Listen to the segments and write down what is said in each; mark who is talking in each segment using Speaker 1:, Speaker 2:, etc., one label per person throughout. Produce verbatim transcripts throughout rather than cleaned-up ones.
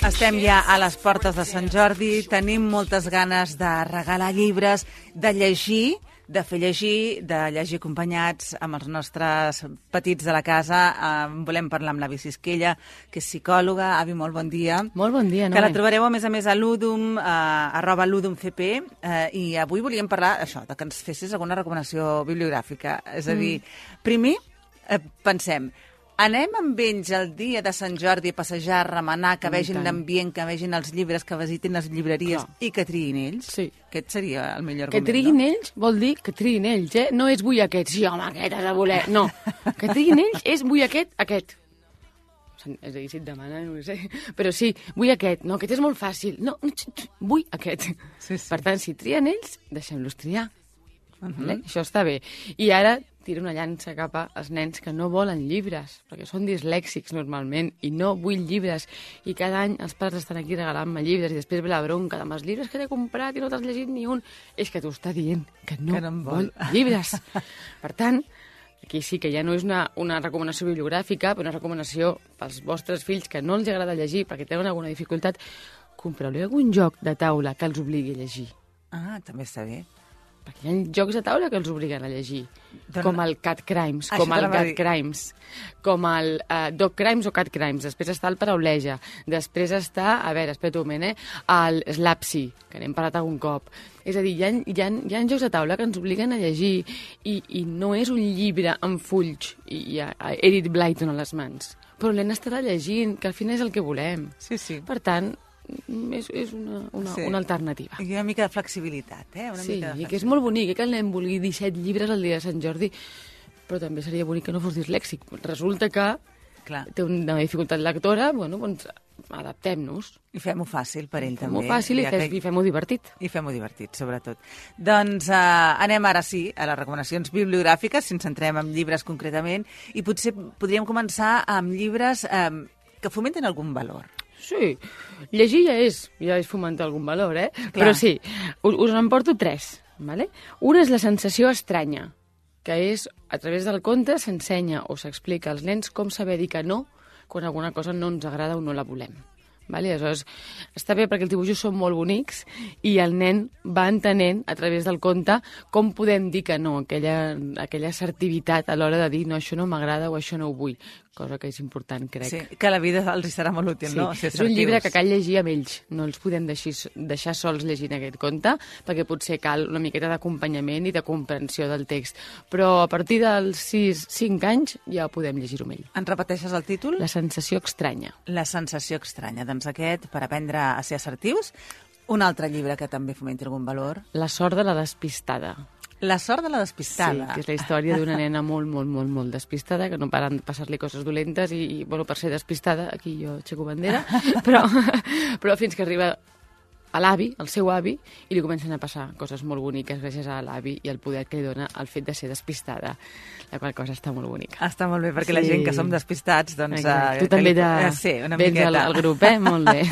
Speaker 1: Estem ja a les portes de Sant Jordi, tenim moltes ganes de regalar llibres, de llegir, de fer llegir, de llegir acompanyats amb els nostres petits de la casa. Eh, volem parlar amb l'avi Sisquella, que és psicòloga. Avi, molt bon dia.
Speaker 2: Molt bon dia, no?
Speaker 1: Que la trobareu, a més a més, a l'Udum, eh, arroba l'UdumCP, eh, i avui volíem parlar això, de que ens fessis alguna recomanació bibliogràfica. És a dir, mm. primer, eh, pensem, anem amb ells el dia de Sant Jordi a passejar, a remenar, que vegin l'ambient, que vegin els llibres, que visitin les llibreries. Clar. I que triïn ells?
Speaker 2: Sí.
Speaker 1: Aquest seria el millor
Speaker 2: que
Speaker 1: argument,
Speaker 2: triïn
Speaker 1: no?
Speaker 2: ells vol dir que triïn ells, eh? No és vull aquest, sí, home, aquest has de voler. No, que triïn ells és vull aquest, aquest. És a dir, si et demana, no ho sé. Però sí, vull aquest. No, aquest és molt fàcil. No, vull aquest.
Speaker 1: Sí, sí.
Speaker 2: Per tant, si trien ells, deixem-los triar.
Speaker 1: Uh-huh.
Speaker 2: Vale? Això està bé. I ara tira una llança cap als nens que no volen llibres, perquè són dislèxics normalment, i no vull llibres. I cada any els pares estan aquí regalant-me llibres, i després ve la bronca de els llibres que t'he comprat i no t'has llegit ni un. És que t'ho està dient, que no,
Speaker 1: que no vol.
Speaker 2: vol llibres. Per tant, aquí sí que ja no és una, una recomanació bibliogràfica, però una recomanació pels vostres fills que no els agrada llegir perquè tenen alguna dificultat. Compreu-li algun joc de taula que els obligui a llegir.
Speaker 1: Ah, també està bé.
Speaker 2: Perquè hi ha jocs de taula que els obliguen a llegir,
Speaker 1: doncs,
Speaker 2: com el Cat Crimes,
Speaker 1: com
Speaker 2: el Cat Crimes, com el uh, Dog Crimes o Cat Crimes. Després està el Parauleja, després està, a veure, espera un moment, eh, el Slapsy, que n'hem parlat algun cop. És a dir, hi ha, hi, ha, hi ha jocs de taula que ens obliguen a llegir i, i no és un llibre amb fulls i hi ha Edith Blyton a les mans, però l'hem estarà llegint, que al final és el que volem.
Speaker 1: Sí, sí.
Speaker 2: Per tant, és, és una, una,
Speaker 1: sí.
Speaker 2: una alternativa.
Speaker 1: I una mica de flexibilitat, eh? Una
Speaker 2: sí,
Speaker 1: mica de
Speaker 2: i que és molt bonic, eh, que el nen vulgui disset llibres el dia de Sant Jordi, però també seria bonic que no fos dislèxic. Resulta que
Speaker 1: Clar.
Speaker 2: té una dificultat lectora, bueno, doncs adaptem-nos.
Speaker 1: I fem-ho fàcil per ell, també.
Speaker 2: Fem-ho fàcil i,
Speaker 1: ja
Speaker 2: fes,
Speaker 1: que...
Speaker 2: i fem-ho divertit.
Speaker 1: I fem-ho divertit, sobretot. Doncs eh, anem ara sí a les recomanacions bibliogràfiques, si ens centrem en llibres concretament, i potser podríem començar amb llibres eh, que fomenten algun valor.
Speaker 2: Sí, llegir ja és, ja és fomentar algun valor, eh?
Speaker 1: Clar.
Speaker 2: Però sí, us, us en porto tres, ¿vale? Una és la sensació estranya, que és, a través del conte, s'ensenya o s'explica als nens com saber dir que no quan alguna cosa no ens agrada o no la volem. Vale? Aleshores, està bé perquè els dibuixos són molt bonics i el nen va entenent a través del conte com podem dir que no, aquella, aquella assertivitat a l'hora de dir no, això no m'agrada o això no ho vull, cosa que és important, crec.
Speaker 1: Sí, que a la vida els hi serà molt útil,
Speaker 2: sí.
Speaker 1: no?
Speaker 2: Ser és un llibre que cal llegir amb ells, no els podem deixar, deixar sols llegint aquest conte, perquè potser cal una miqueta d'acompanyament i de comprensió del text, però a partir dels sis cinc anys ja podem llegir-ho amb ell.
Speaker 1: Ens repeteixes el títol?
Speaker 2: La sensació estranya.
Speaker 1: La sensació estranya. Doncs aquest, per aprendre a ser assertius. Un altre llibre que també fomenti algun valor.
Speaker 2: La sort de la despistada.
Speaker 1: La sort de la despistada.
Speaker 2: Sí, que és la història d'una nena molt, molt, molt, molt despistada, que no paren de passar-li coses dolentes i, i, bueno, per ser despistada, aquí jo aixeco bandera, però, però fins que arriba a l'avi, al seu avi, i li comencen a passar coses molt boniques gràcies a l'avi i el poder que li dona el fet de ser despistada, la qual cosa està molt bonica.
Speaker 1: Està molt bé, perquè
Speaker 2: sí.
Speaker 1: la gent que som despistats, doncs...
Speaker 2: Uh, tu també
Speaker 1: li...
Speaker 2: de...
Speaker 1: eh, sí, una
Speaker 2: vens
Speaker 1: miqueta.
Speaker 2: al, al grup, eh? Molt bé.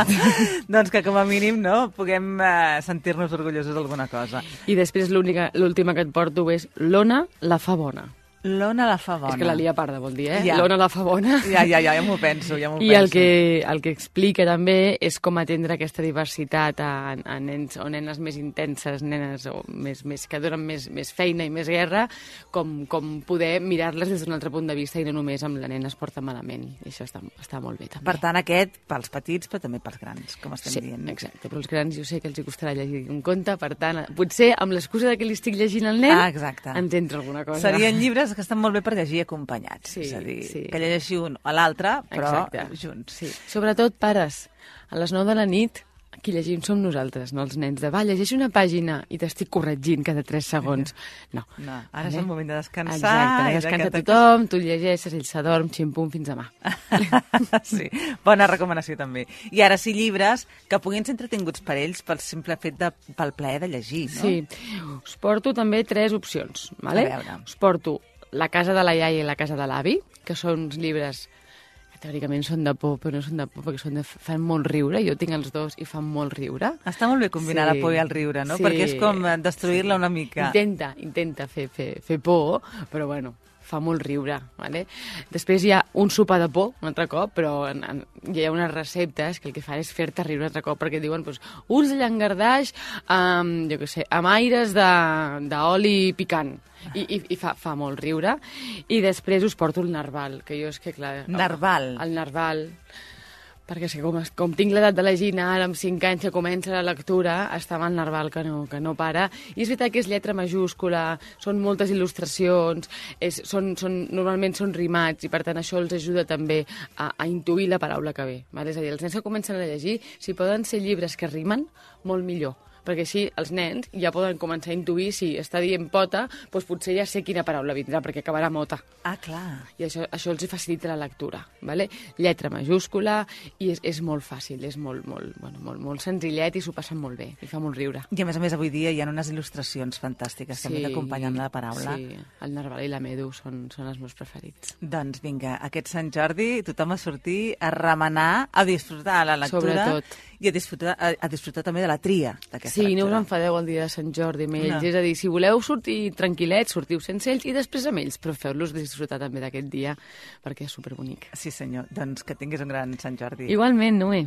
Speaker 1: Doncs que com a mínim, no?, puguem uh, sentir-nos orgullosos d'alguna cosa.
Speaker 2: I després l'última que et porto és l'Ona la fa bona.
Speaker 1: L'Ona la fa bona.
Speaker 2: És que la lia parda, vol dir, eh?
Speaker 1: Ja.
Speaker 2: L'Ona la fa bona.
Speaker 1: Ja, ja, ja, ja m'ho penso, ja m'ho
Speaker 2: I
Speaker 1: penso.
Speaker 2: el que, el que explica també és com atendre aquesta diversitat a, a nens o nenes més intenses, nenes o més, més, que donen més, més feina i més guerra, com, com poder mirar-les des d'un altre punt de vista i no només amb la nena es porta malament. I això està, està molt bé, també.
Speaker 1: Per tant, aquest pels petits, però també pels grans, com estem
Speaker 2: sí,
Speaker 1: dient.
Speaker 2: Sí, exacte, però els grans jo sé que els hi costarà llegir un conte, per tant, potser amb l'excusa de que li estic llegint al nen,
Speaker 1: ah, exacte.
Speaker 2: ens entra alguna cosa.
Speaker 1: Serien llibres que estan molt bé per llegir acompanyats,
Speaker 2: sí,
Speaker 1: és a dir,
Speaker 2: sí.
Speaker 1: que llegeixi un o l'altre, però
Speaker 2: exacte.
Speaker 1: Junts.
Speaker 2: Sí. Sobretot, pares, a les nou de la nit, qui llegim som nosaltres, no els nens, de va, llegeix una pàgina i t'estic corregint cada tres segons. No.
Speaker 1: no ara eh? és el moment de descansar.
Speaker 2: Exacte, descansa de tothom, tu llegeixes, ell s'adorm, ximpum, fins demà.
Speaker 1: Sí, bona recomanació també. I ara sí, llibres que puguin ser entretinguts per ells pel simple fet de, pel plaer de llegir, no?
Speaker 2: Sí, us porto també tres opcions, vale?
Speaker 1: A veure.
Speaker 2: Us porto La casa de la iaia i la casa de l'avi, que són uns llibres que teòricament són de por, però no són de por perquè són de, fan molt riure. Jo tinc els dos i fan molt riure.
Speaker 1: Està molt bé combinar sí. la por i el riure, no?
Speaker 2: Sí.
Speaker 1: Perquè és com destruir-la una mica.
Speaker 2: Intenta, intenta fer, fer, fer por, però bueno, fa molt riure. Vale? Després hi ha un sopar de por, un altre cop, però en, en, hi ha unes receptes que el que fan és fer-te riure un altre cop, perquè diuen pues, uns de llangardaix amb, jo què sé, amb aires d'oli picant. I, i, i fa, fa molt riure. I després us porto el narval, que jo és que, clar...
Speaker 1: Narval?
Speaker 2: El, el narval, perquè és que com, com tinc l'edat de la Gina, ara amb cinc anys que comença la lectura, està amb el narval que no, que no para. I és veritat que és lletra majúscula, són moltes il·lustracions, és, són, són, normalment són rimats, i per tant això els ajuda també a, a intuir la paraula que ve. Val? És a dir, els nens que comencen a llegir, si poden ser llibres que rimen, molt millor, perquè així els nens ja poden començar a intuir si està dient pota, doncs potser ja sé quina paraula vindrà, perquè acabarà mota.
Speaker 1: Ah, clar.
Speaker 2: I això, això els facilita la lectura, ¿vale? Lletra majúscula, i és, és molt fàcil, és molt, molt, bueno, molt, molt senzillet i s'ho passen molt bé, i fa molt riure.
Speaker 1: I a més a més avui dia hi ha unes il·lustracions fantàstiques sí, també que acompanyen la paraula.
Speaker 2: Sí, el narval i la medu són, són els meus preferits.
Speaker 1: Doncs vinga, aquest Sant Jordi tothom a sortir, a remenar, a disfrutar la lectura.
Speaker 2: Sobretot.
Speaker 1: I a disfrutar, a, a disfrutar també de la tria d'aquesta
Speaker 2: sí,
Speaker 1: lectura.
Speaker 2: Sí, no us enfadeu el dia de Sant Jordi amb ells. No. És a dir, si voleu sortir tranquil·lets, sortiu sense ells i després amb ells, però feu-los disfrutar també d'aquest dia, perquè és superbonic.
Speaker 1: Sí, senyor. Doncs que tinguis un gran Sant Jordi.
Speaker 2: Igualment, Noé.